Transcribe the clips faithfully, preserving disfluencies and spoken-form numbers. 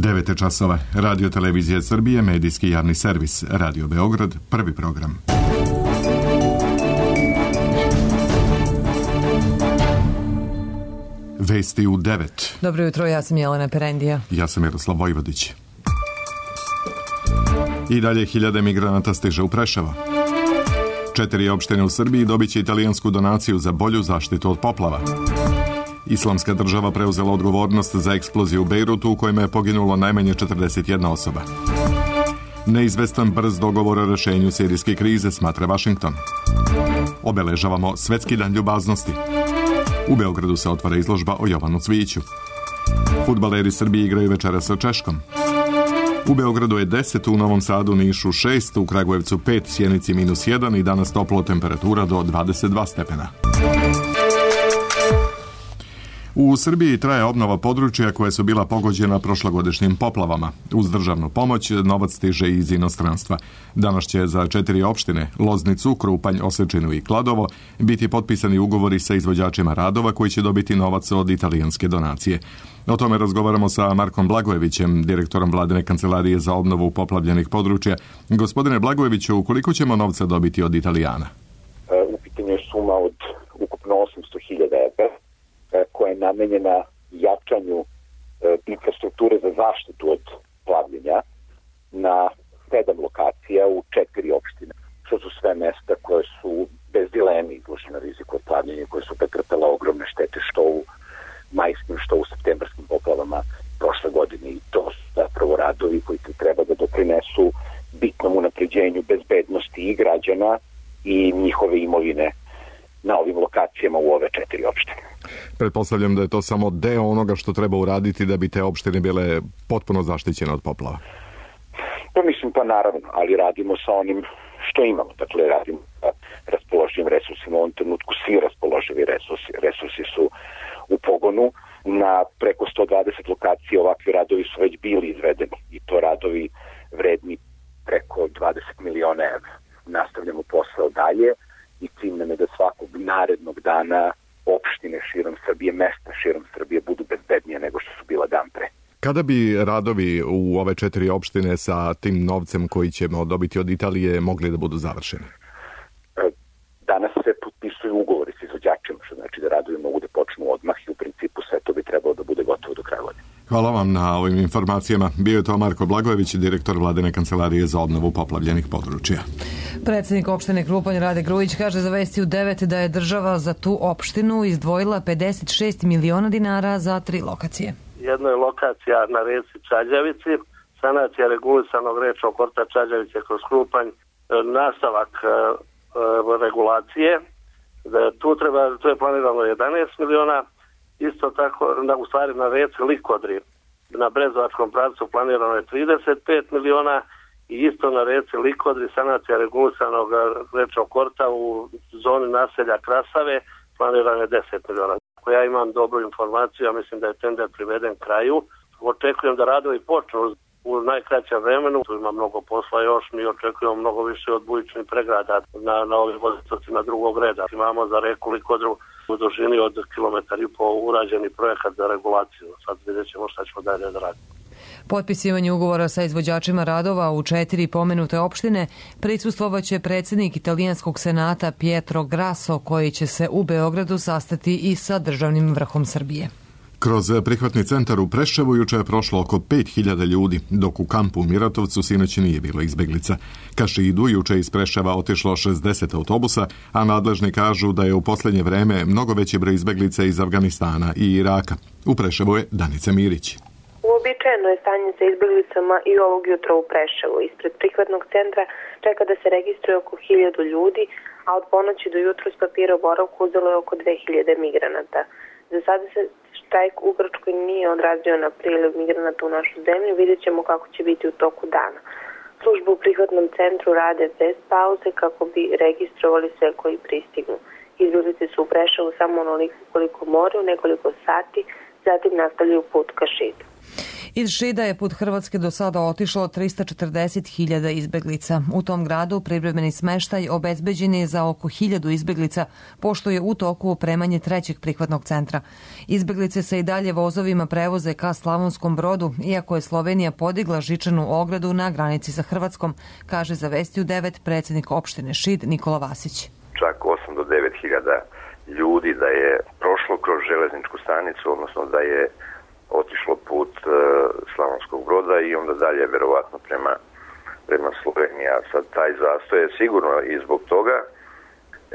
devet časova. Radio Televizija Srbije, medijski javni servis. Radio Beograd, prvi program. Vesti u devet. Dobro jutro, ja sam Jelena Perendija. Ja sam Miroslav Vojvodić. I dalje hiljade migranata stiže u Preševo. Četiri opštine u Srbiji dobit će italijansku donaciju za bolju zaštitu od poplava. Islamska država preuzela odgovornost za eksploziju u Bejrutu u kojima je poginulo najmanje četrdeset jedna osoba. Neizvestan brz dogovor o rešenju sirijske krize, smatra Vašington. Obeležavamo Svetski dan ljubaznosti. U Beogradu se otvara izložba o Jovanu Cvijiću. Fudbaleri Srbije igraju večeras sa Češkom. U Beogradu je deset, u Novom Sadu, Nišu šest, u Kragujevcu pet, Sjenici minus jedan i danas toplo, temperatura do dvadeset dva stepena. U Srbiji traje obnova područja koja su bila pogođena prošlogodišnjim poplavama. Uz državnu pomoć novac stiže iz inostranstva. Danas će za četiri opštine, Loznicu, Krupanj, Osečinu i Kladovo, biti potpisani ugovori sa izvođačima radova koji će dobiti novac od italijanske donacije. O tome razgovaramo sa Markom Blagojevićem, direktorom Vladine kancelarije za obnovu poplavljenih područja. Gospodine Blagojeviću, koliko ćemo novca dobiti od Italijana? U pitanju je suma od ukupno osamsto hiljada evra, koja je namenjena jačanju e, infrastrukture za zaštitu od plavljenja na sedam lokacija u četiri opštine. Što su sve mesta koje su bez dileme izložene riziku od plavljenja, koje su pretrpele ogromne štete što u majskim, što u septembarskim poplavama prošle godine. I to su zapravo radovi koji treba da doprinesu bitnom unapređenju bezbednosti i građana i njihove imovine na ovim lokacijama u ove četiri opštine. Pretpostavljam da je to samo deo onoga što treba uraditi da bi te opštine bile potpuno zaštićene od poplava. Pa mislim, pa naravno, ali radimo sa onim što imamo. Dakle, radimo sa raspoloživim resursima. U ovom trenutku svi raspoloživi resursi, resursi su u pogonu. Na preko sto dvadeset lokacija ovakvi radovi su već bili izvedeni i to radovi vredni preko dvadeset miliona evra. Nastavljamo posao dalje i cilj nam je da svakog narednog dana opštine širom Srbije, mesta širom Srbije budu bezbednije nego što su bila dan pre. Kada bi radovi u ove četiri opštine sa tim novcem koji ćemo dobiti od Italije mogli da budu završeni? Danas se potpisuju ugovori s izvođačima, što znači da radovi mogu da počnu odmah i u principu sve to bi trebalo da bude gotovo do kraja godine. Hvala vam na ovim informacijama. Bio je to Marko Blagojević, direktor Vladine kancelarije za obnovu poplavljenih područja. Predsjednik opštine Krupanj Rade Grujić kaže za Vesti u devet da je država za tu opštinu izdvojila pedeset šest miliona dinara za tri lokacije. Jedna je lokacija na reci Čađavici, sanacija regulisanog rečnog korta Čađavice kroz Krupanj, nastavak regulacije. Tu treba, to je planirano jedanaest miliona. Isto tako, u stvari na reci Likodri, na Brezovačkom pravcu planirano je trideset pet miliona i isto na reci Likodri sanacija regulisanog rečnog korta u zoni naselja Krasave planirano je deset miliona. Ako ja imam dobru informaciju, ja mislim da je tender priveden kraju. Očekujem da radovi počnu u najkraćem vremenu. Tu ima mnogo posla još, mi očekujemo mnogo više od bujičnih pregrada na, na ovim vodicocima drugog reda. Imamo za reku Likodru u dužini od kilometar i pol urađeni projekat za regulaciju. Sad vidjet ćemo šta ćemo dalje da radimo. Potpisivanje ugovora sa izvođačima radova u četiri pomenute opštine prisustvovaće predsjednik italijanskog senata Pietro Grasso, koji će se u Beogradu sastati i sa državnim vrhom Srbije. Kroz prihvatni centar u Preševu juče je prošlo oko pet hiljada ljudi, dok u kampu u Miratovcu sinoć nije bilo izbeglica. Ka Šidu juče iz Preševa otišlo šezdeset autobusa, a nadležni kažu da je u posljednje vreme mnogo veći broj izbeglica iz Afganistana i Iraka. U Preševu je Danica Mirić. Uobičajeno je stanje sa izbeglicama i ovog jutra u Preševu. Ispred prihvatnog centra čeka da se registruje oko hiljadu ljudi, a od ponoći do jutros papira o boravku uzelo je oko dve hiljade migranata. Za sada se štrajk u Grčkoj nije odrazio na priliv migranata u našu zemlju, vidjet ćemo kako će biti u toku dana. Službu u prihvatnom centru rade bez pauze kako bi registrovali sve koji pristignu. Izbeglice su u Preševu samo onoliko koliko moraju, nekoliko sati, zatim nastavljaju put ka Šidu. Iz Šida je put Hrvatske do sada otišlo trista četrdeset hiljada izbeglica. U tom gradu privremeni smeštaj obezbeđen je za oko hiljadu izbeglica, pošto je u toku opremanje trećeg prihvatnog centra. Izbeglice se i dalje vozovima prevoze ka Slavonskom Brodu, iako je Slovenija podigla žičanu ogradu na granici sa Hrvatskom, kaže za Vesti u devet predsjednik opštine Šid Nikola Vasić. Čak osam do devet hiljada ljudi da je prošlo kroz železničku stanicu, odnosno da je otišlo put uh, Slavonskog Broda i onda dalje verovatno prema, prema Sloveniji. A sad taj zastoj je sigurno i zbog toga.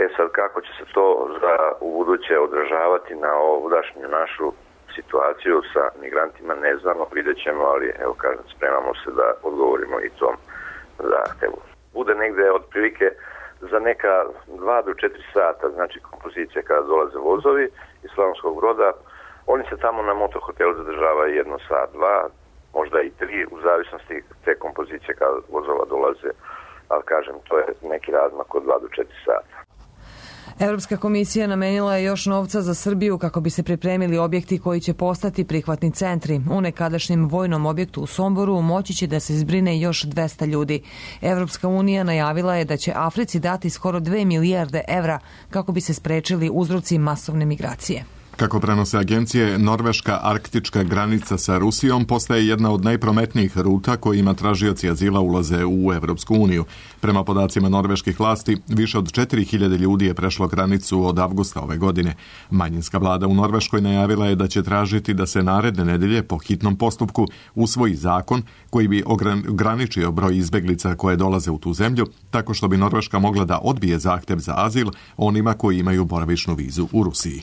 E sad kako će se to za ubuduće odražavati na ovudašnju našu situaciju sa migrantima ne znamo, vidjet ćemo, ali evo kažem, spremamo se da odgovorimo i tom zahtevu. Bude negde otprilike za neka dva do četiri sata, znači kompozicija kada dolaze vozovi iz Slavonskog Broda. Oni se tamo na motohotelu zadržavaju jedno sat, dva, možda i tri, u zavisnosti te kompozicije kada vozova dolaze, ali kažem, to je neki razmak od dva do četiri sata. Europska komisija namenila je još novca za Srbiju kako bi se pripremili objekti koji će postati prihvatni centri. U nekadašnjem vojnom objektu u Somboru moći će da se zbrine još dvesta ljudi. Europska unija najavila je da će Africi dati skoro dve milijarde evra kako bi se sprečili uzroci masovne migracije. Kako prenose agencije, norveška arktička granica sa Rusijom postaje jedna od najprometnijih ruta kojima tražioci azila ulaze u Evropsku uniju. Prema podacima norveških vlasti, više od četiri hiljade ljudi je prešlo granicu od avgusta ove godine. Manjinska vlada u Norveškoj najavila je da će tražiti da se naredne nedelje po hitnom postupku usvoji zakon koji bi ograničio broj izbeglica koje dolaze u tu zemlju, tako što bi Norveška mogla da odbije zahtev za azil onima koji imaju boravišnu vizu u Rusiji.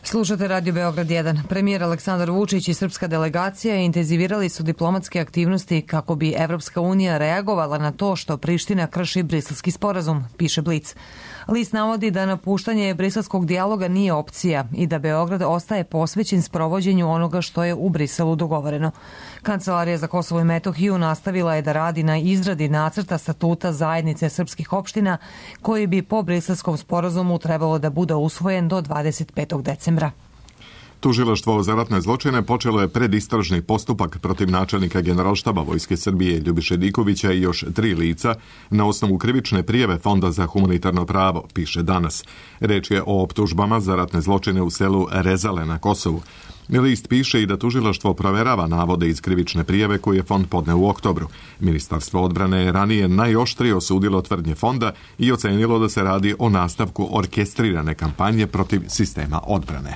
Slušate Radio Beograd jedan. Premijer Aleksandar Vučić i srpska delegacija intenzivirali su diplomatske aktivnosti kako bi Evropska unija reagovala na to što Priština krši Briselski sporazum, piše Blic. List navodi da napuštanje briselskog dijaloga nije opcija i da Beograd ostaje posvećen sprovođenju onoga što je u Briselu dogovoreno. Kancelarija za Kosovo i Metohiju nastavila je da radi na izradi nacrta statuta zajednice srpskih opština koji bi po Briselskom sporazumu trebalo da bude usvojen do dvadeset petog decembra. Tužilaštvo za ratne zločine počelo je predistražni postupak protiv načelnika Generalštaba Vojske Srbije Ljubiše Dikovića i još tri lica na osnovu krivične prijave Fonda za humanitarno pravo, piše Danas. Reč je o optužbama za ratne zločine u selu Rezale na Kosovu. List piše i da tužilaštvo proverava navode iz krivične prijave koje je Fond podneo u oktobru. Ministarstvo odbrane je ranije najoštrije osudilo tvrdnje Fonda i ocenilo da se radi o nastavku orkestrirane kampanje protiv sistema odbrane.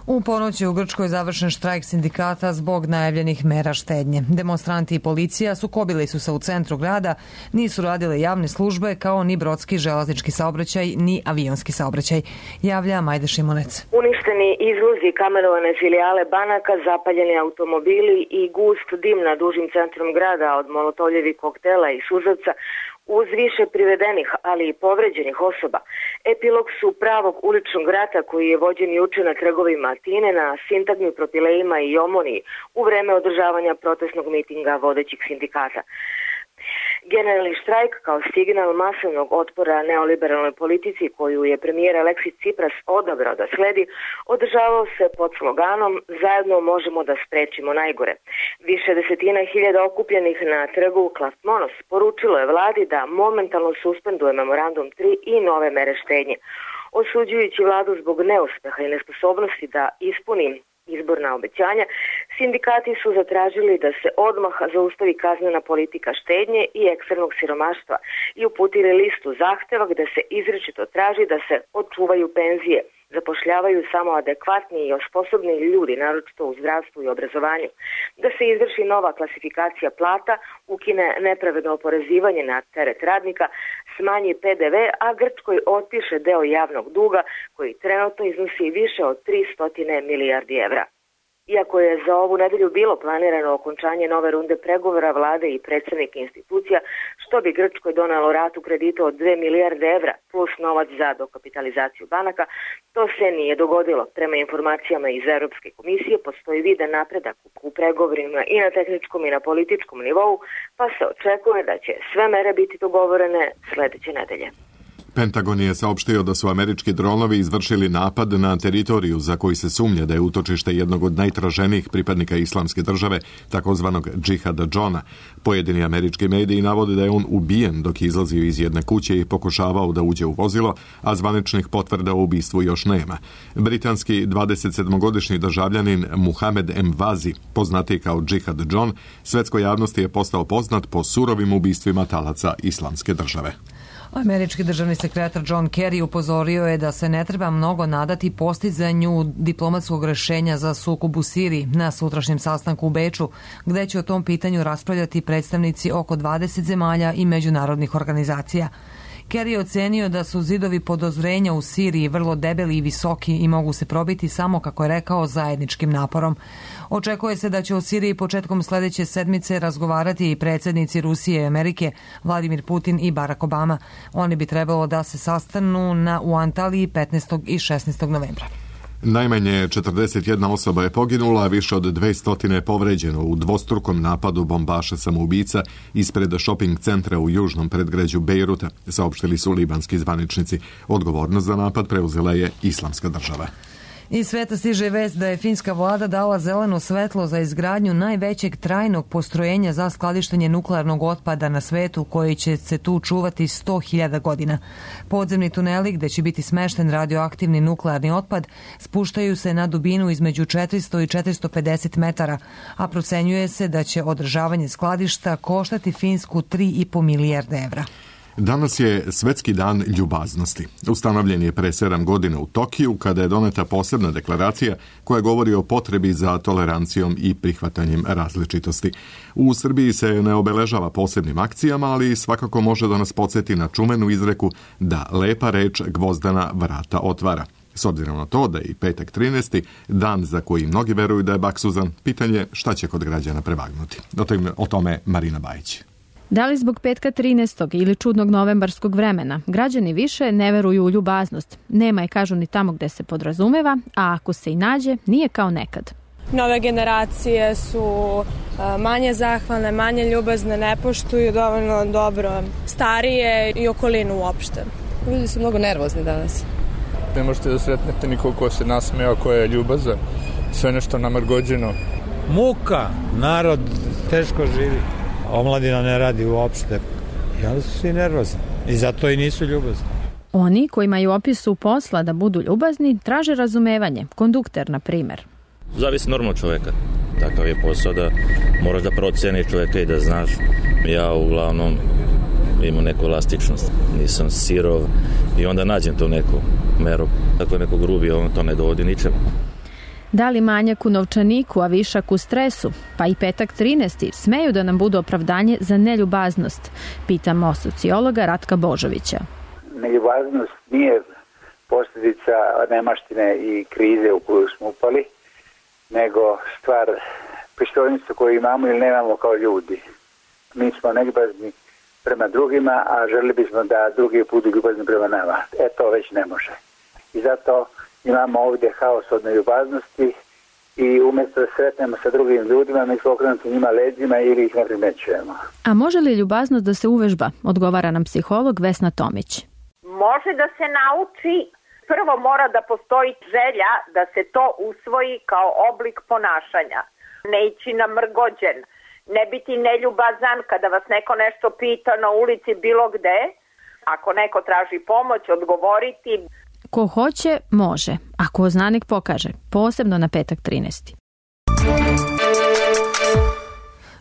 U ponoć je u Grčkoj završen štrajk sindikata zbog najavljenih mera štednje. Demonstranti i policija sukobili su se u centru grada, nisu radile javne službe kao ni brodski železnički saobraćaj ni avionski saobraćaj. Javlja Majda Šimonec. Uništeni izvozi, kamenovane filijale banaka, zapaljeni automobili i gust dim nad dužim centrom grada od molotovljevih koktela i suzavca uz više privedenih, ali i povređenih osoba. Epilog su pravog uličnog rata koji je vođen juče na trgovima Atine, na sintagmi, propilejima i omoniji u vreme održavanja protestnog mitinga vodećih sindikata. Generalni štrajk kao signal masovnog otpora neoliberalnoj politici koju je premijer Aleksis Cipras odabrao da sledi, održavao se pod sloganom "Zajedno možemo da sprečimo najgore". Više desetina hiljada okupljenih na trgu Klasmonos poručilo je vladi da momentalno suspenduje memorandum tri i nove mere štednje. Osuđujući vladu zbog neuspeha i nesposobnosti da ispuni izborna obećanja, sindikati su zatražili da se odmah zaustavi kaznena politika štednje i ekstremnog siromaštva i uputili listu zahteva gde se izričito traži da se očuvaju penzije, zapošljavaju samo adekvatni i osposobni ljudi, naročito u zdravstvu i obrazovanju, da se izvrši nova klasifikacija plata, ukine nepravedno oporezivanje na teret radnika, smanji P D V, a Grčkoj otpiše deo javnog duga koji trenutno iznosi više od tristo milijardi evra. Iako je za ovu nedelju bilo planirano okončanje nove runde pregovora vlade i predsednika institucija, što bi Grčkoj donelo ratu kredita od dve milijarde evra plus novac za dokapitalizaciju banaka, to se nije dogodilo. Prema informacijama iz Europske komisije postoji vidan napredak u pregovorima i na tehničkom i na političkom nivou, pa se očekuje da će sve mere biti dogovorene sledeće nedelje. Pentagon je saopštio da su američki dronovi izvršili napad na teritoriju za koji se sumnja da je utočište jednog od najtraženijih pripadnika Islamske države, takozvanog Džihada Johna. Pojedini američki mediji navode da je on ubijen dok je izlazio iz jedne kuće i pokušavao da uđe u vozilo, a zvaničnih potvrda o ubistvu još nema. Britanski dvadesetsedmogodišnji državljanin Muhamed Emvazi, poznatiji kao Džihad John, svetskoj javnosti je postao poznat po surovim ubistvima talaca Islamske države. Američki državni sekretar John Kerry upozorio je da se ne treba mnogo nadati postizanju diplomatskog rešenja za sukob u Siriji na sutrašnjem sastanku u Beču, gde će o tom pitanju raspravljati predstavnici oko dvadeset zemalja i međunarodnih organizacija. Kerry je ocenio da su zidovi podozrenja u Siriji vrlo debeli i visoki i mogu se probiti samo, kako je rekao, zajedničkim naporom. Očekuje se da će o Siriji početkom sledeće sedmice razgovarati i predsjednici Rusije i Amerike, Vladimir Putin i Barack Obama. Oni bi trebalo da se sastanu na, u Antaliji petnaestog i šesnaestog novembra. Najmanje četrdeset jedna osoba je poginula, a više od dvesta je povređeno u dvostrukom napadu bombaša samoubica ispred šoping centra u južnom predgrađu Bejruta, saopštili su libanski zvaničnici. Odgovornost za napad preuzela je Islamska država. Iz sveta stiže vest da je finska vlada dala zeleno svetlo za izgradnju najvećeg trajnog postrojenja za skladištenje nuklearnog otpada na svetu, koji će se tu čuvati sto hiljada godina. Podzemni tuneli gde će biti smešten radioaktivni nuklearni otpad spuštaju se na dubinu između četiristo i četiristo pedeset metara, a procenjuje se da će održavanje skladišta koštati Finsku tri i po milijarde evra. Danas je Svetski dan ljubaznosti. Ustanovljen je pre sedam godina u Tokiju, kada je doneta posebna deklaracija koja govori o potrebi za tolerancijom i prihvatanjem različitosti. U Srbiji se ne obeležava posebnim akcijama, ali svakako može da nas podsjeti na čuvenu izreku da lepa reč gvozdana vrata otvara. S obzirom na to da je i petak trinaesti, dan za koji mnogi veruju da je baksuzan, pitanje šta će kod građana prevagnuti. O tome Marina Bajić. Da li zbog petka trinaestog ili čudnog novembarskog vremena, građani više ne veruju u ljubaznost. Nema je, kažu, ni tamo gde se podrazumeva, a ako se i nađe, nije kao nekad. Nove generacije su manje zahvalne, manje ljubazne, ne poštuju dovoljno dobro starije i okolinu uopšte. Ljudi su mnogo nervozni danas. Ne možete da sretnete nikog ko se nasmeja, ko je ljubazan, sve nešto namrgođeno. Muka, narod teško živi. Omladina ne radi uopšte i onda su svi nervozni i zato i nisu ljubazni. Oni kojima je u opisu posla da budu ljubazni traže razumevanje, kondukter na primer. Zavisi normalno čoveka, takav je posao da moraš da proceniš čoveka i da znaš. Ja uglavnom imam neku elastičnost, nisam sirov i onda nađem tu neku meru. Tako je neko grubi, on to ne dovodi ničem. Da li manjak u novčaniku, a višak u stresu, pa i petak trinaesti smeju da nam budu opravdanje za neljubaznost, pitamo sociologa Ratka Božovića. Neljubaznost nije posljedica nemaštine i krize u koju smo upali, nego stvar pristojnosti koju imamo ili nemamo kao ljudi. Mi smo neljubazni prema drugima, a želili bismo da drugi budu ljubazni prema nama. E, to već ne može. I zato imamo ovdje haos od neljubaznosti i umjesto da sretnemo sa drugim ljudima, mi smo okrenuti njima leđima ili ih ne primećujemo. A može li ljubaznost da se uvežba? Odgovara nam psiholog Vesna Tomić. Može da se nauči. Prvo mora da postoji želja da se to usvoji kao oblik ponašanja. Ne ići namrgođen, ne biti neljubazan kada vas neko nešto pita na ulici bilo gde. Ako neko traži pomoć, odgovoriti. Ko hoće, može, a ko zna nek pokaže, posebno na petak trinaesti.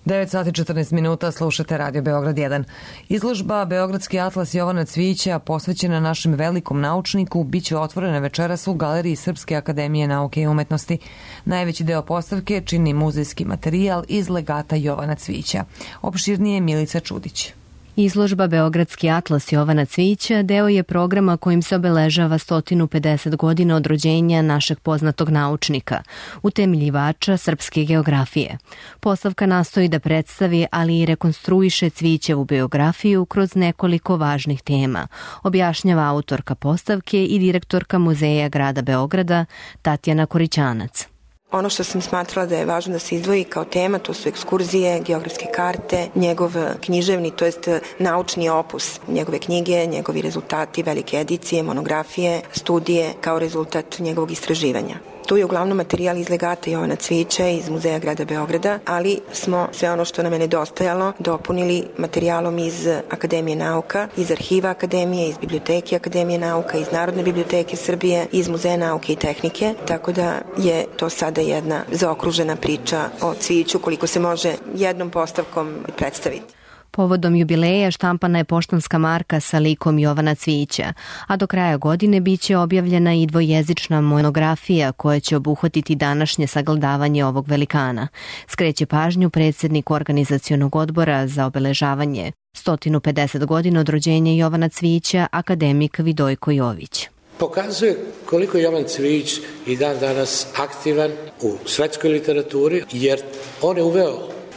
devet sati četrnaest minuta, slušate Radio Beograd jedan. Izložba Beogradski atlas Jovana Cvijića, posvećena našem velikom naučniku, bit će otvorena večeras u Galeriji Srpske akademije nauke i umetnosti. Najveći deo postavke čini muzejski materijal iz legata Jovana Cvijića. Opširnije Milica Čudić. Izložba Beogradski atlas Jovana Cvijića deo je programa kojim se obeležava sto pedeset godina od rođenja našeg poznatog naučnika, utemeljivača srpske geografije. Postavka nastoji da predstavi, ali i rekonstruiše Cvijićevu biografiju kroz nekoliko važnih tema, objašnjava autorka postavke i direktorka Muzeja grada Beograda Tatjana Korićanac. Ono što sam smatrala da je važno da se izdvoji kao tema, to su ekskurzije, geografske karte, njegov književni, to jest naučni opus, njegove knjige, njegovi rezultati, velike edicije, monografije, studije kao rezultat njegovog istraživanja. Tu je uglavnom materijal iz legata Jovana Cvijića iz Muzeja grada Beograda, ali smo sve ono što nam je nedostajalo dopunili materijalom iz Akademije nauka, iz arhiva Akademije, iz biblioteke Akademije nauka, iz Narodne biblioteke Srbije, iz Muzeja nauke i tehnike, tako da je to sada jedna zaokružena priča o Cvijiću koliko se može jednom postavkom predstaviti. Povodom jubileja štampana je poštanska marka sa likom Jovana Cvijića, a do kraja godine biće objavljena i dvojezična monografija koja će obuhvatiti današnje sagledavanje ovog velikana. Skreće pažnju predsjednik organizacionog odbora za obeležavanje sto pedeset godina od rođenja Jovana Cvijića, akademik Vidojko Jović. Pokazuje koliko je Jovan Cvijić i dan danas aktivan u svetskoj literaturi, jer on je uveo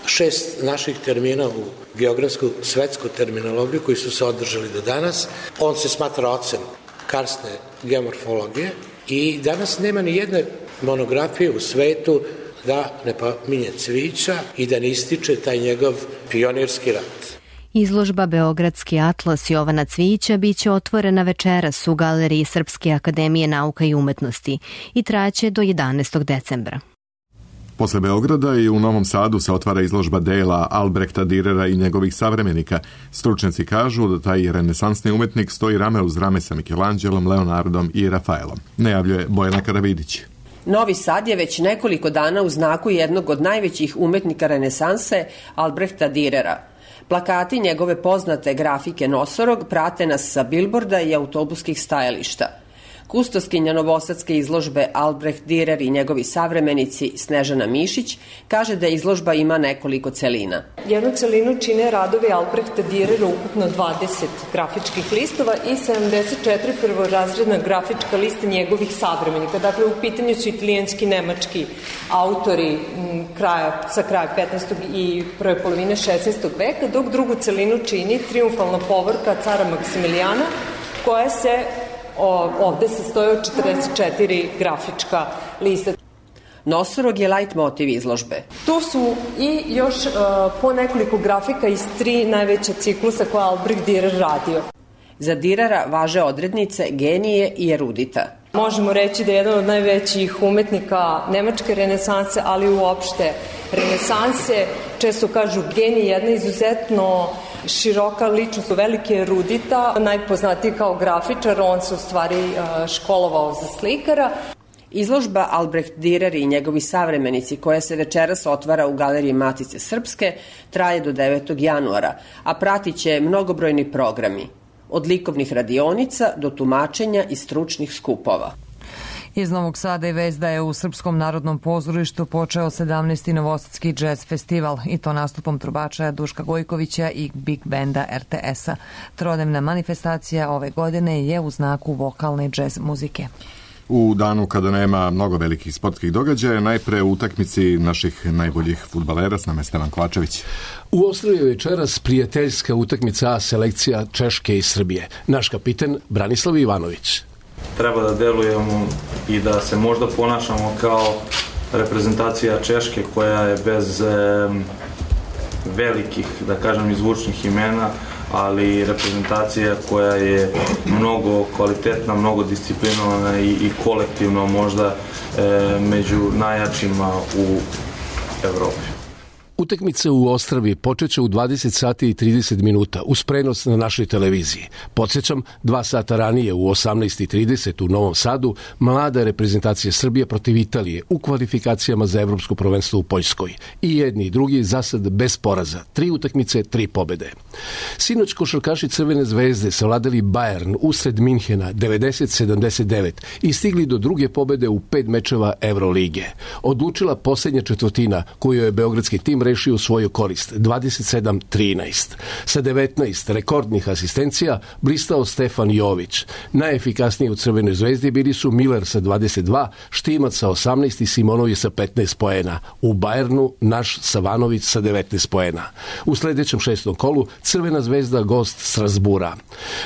šest naših termina u geografsku svetsku terminologiju koji su se održali do danas. On se smatra ocem karsne geomorfologije i danas nema ni jedne monografije u svetu da ne pominje Cvijića i da ne ističe taj njegov pionirski rad. Izložba Beogradski atlas Jovana Cvijića biće otvorena večeras u Galeriji Srpske akademije nauka i umetnosti i trajaće do jedanaestog decembra. Posle Beograda i u Novom Sadu se otvara izložba dela Albrehta Dürera i njegovih savremenika. Stručnjaci kažu da taj renesansni umetnik stoji rame uz rame sa Mikelanđelom, Leonardom i Rafaelom. Najavljuje Bojana Karavidić. Novi Sad je već nekoliko dana u znaku jednog od najvećih umetnika renesanse, Albrehta Dürera. Plakati njegove poznate grafike Nosorog prate nas sa bilborda i autobuskih stajališta. Kustoskinja novosadske izložbe Albreht Dürer i njegovi savremenici Snežana Mišić kaže da izložba ima nekoliko celina. Jednu celinu čine radovi Albrehta Dürera, ukupno dvadeset grafičkih listova i sedamdeset četiri prvorazredna grafička lista njegovih savremenika. Dakle, u pitanju su italijanski, nemački autori kraja, sa kraja petnaestog i prve polovine šesnaestog veka, dok drugu celinu čini triumfalna povorka cara Maksimilijana, koja se ovde se stoje od četrdeset četiri grafička lista. Nosorog je lajt motiv izložbe. Tu su i još uh, po nekoliko grafika iz tri najveća ciklusa koja Albrecht Dürer radio. Za Dürera važe odrednice genije i erudita. Možemo reći da je jedan od najvećih umetnika nemačke renesanse, ali uopšte renesanse. Često kažu genij, jedna izuzetno široka ličnost, velike erudita, najpoznatiji kao grafičar, on se u stvari školovao za slikara. Izložba Albrecht Dürer i njegovi savremenici, koja se večeras otvara u Galeriji Matice Srpske, traje do devetog januara, a pratit će mnogobrojni programi, od likovnih radionica do tumačenja i stručnih skupova. Iz Novog Sada i vest da je u Srpskom narodnom pozorištu počeo sedamnaesti Novosadski džez festival i to nastupom trubača Duška Gojkovića i Big Benda er te esa. Trodnevna manifestacija ove godine je u znaku vokalne džez muzike. U danu kada nema mnogo velikih sportskih događaja, najpre u utakmici naših najboljih fudbalera s nama Stevan Kovačević. U Ostrovu je večeras prijateljska utakmica A selekcija Češke i Srbije. Naš kapitan Branislav Ivanović. Treba da delujemo i da se možda ponašamo kao reprezentacija Češke koja je bez e, velikih, da kažem, izvučnih imena, ali reprezentacija koja je mnogo kvalitetna, mnogo disciplinovana i, i kolektivno možda e, među najjačima u Evropi. Utakmica u Ostravi počeće u dvadeset sati i trideset minuta uz prenos na našoj televiziji. Podsjećam, dva sata ranije u osamnaest i trideset u Novom Sadu mlada reprezentacija Srbije protiv Italije u kvalifikacijama za evropsko prvenstvo u Poljskoj. I jedni i drugi za sad bez poraza. Tri utakmice, tri pobede. Sinoć košarkaši Crvene zvezde savladali Bayern usred Minhena devedeset sedamdeset devet i stigli do druge pobede u pet mečeva Evrolige. Odlučila posljednja četvrtina koju je beogradski tim rešio u svoju korist, dvadeset sedam trinaest. Sa devetnaest rekordnih asistencija blistao Stefan Jović. Najefikasniji u Crvenoj zvezdi bili su Miller sa dvadeset dva, Štimac sa osamnaest i Simonović sa petnaest poena. U Bajernu naš Savanović sa devetnaest poena. U sledećem šestom kolu Crvena zvezda gost Strasbura.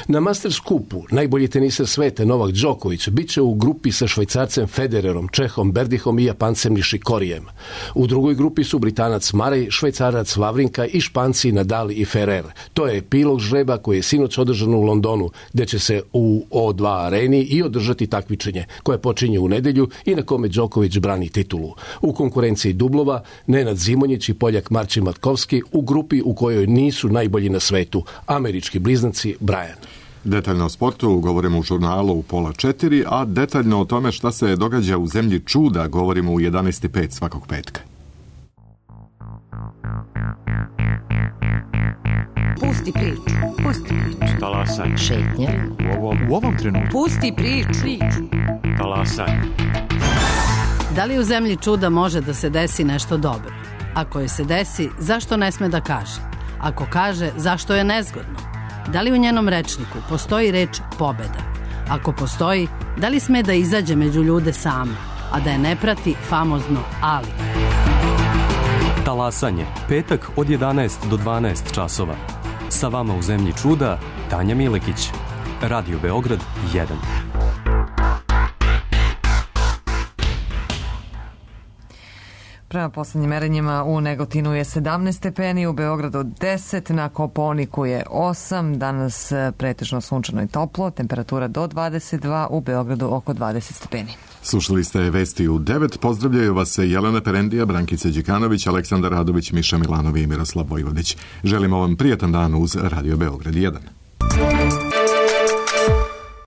Na Masters kupu najbolji teniser sveta Novak Đoković biće u grupi sa Švajcarcem Federerom, Čehom Berdihom i Japancem Nišikorijem. U drugoj grupi su Britanac Marej, Švajcarac Vavrinka i Španci Nadal i Ferrer. To je epilog žreba koji je sinoć održan u Londonu, gde će se u O dva areni i održati takmičenje koje počinje u nedelju i na kome Đoković brani titulu. U konkurenciji dublova Nenad Zimonjić i Poljak Marcin Matkovski u grupi u kojoj nisu najbolji na svetu, američki bliznaci Brian. Detaljno o sportu govorimo u žurnalu u pola četiri, a detaljno o tome šta se događa u zemlji čuda govorimo u jedanaest i pet svakog petka. Pusti priču, pusti priču. Talasaj. Šetnje. U ovom, u ovom trenutku. Pusti priču. Talasaj. Da li u zemlji čuda može da se desi nešto dobro? Ako je se desi, zašto ne sme da kaže? Ako kaže, zašto je nezgodno? Da li u njenom rečniku postoji reč pobeda? Ako postoji, da li sme da izađe među ljude sama, a da je ne prati famozno ali? Talasanje, petak od jedanaest do dvanaest časova. Sa vama u zemlji čuda, Tanja Milekić. Radio Beograd jedan. Prema poslednjim merenjima u Negotinu je sedamnaest stepeni, u Beogradu deset, na Kopaoniku je osam, danas pretežno sunčano i toplo, temperatura do dvadeset dva, u Beogradu oko dvadeset stepeni. Slušali ste vesti u devet, pozdravljaju vas Jelena Perendija, Brankica Đikanović, Aleksandar Radović, Miša Milanovi i Miroslav Vojvodić. Želimo vam prijatan dan uz Radio Beograd jedan.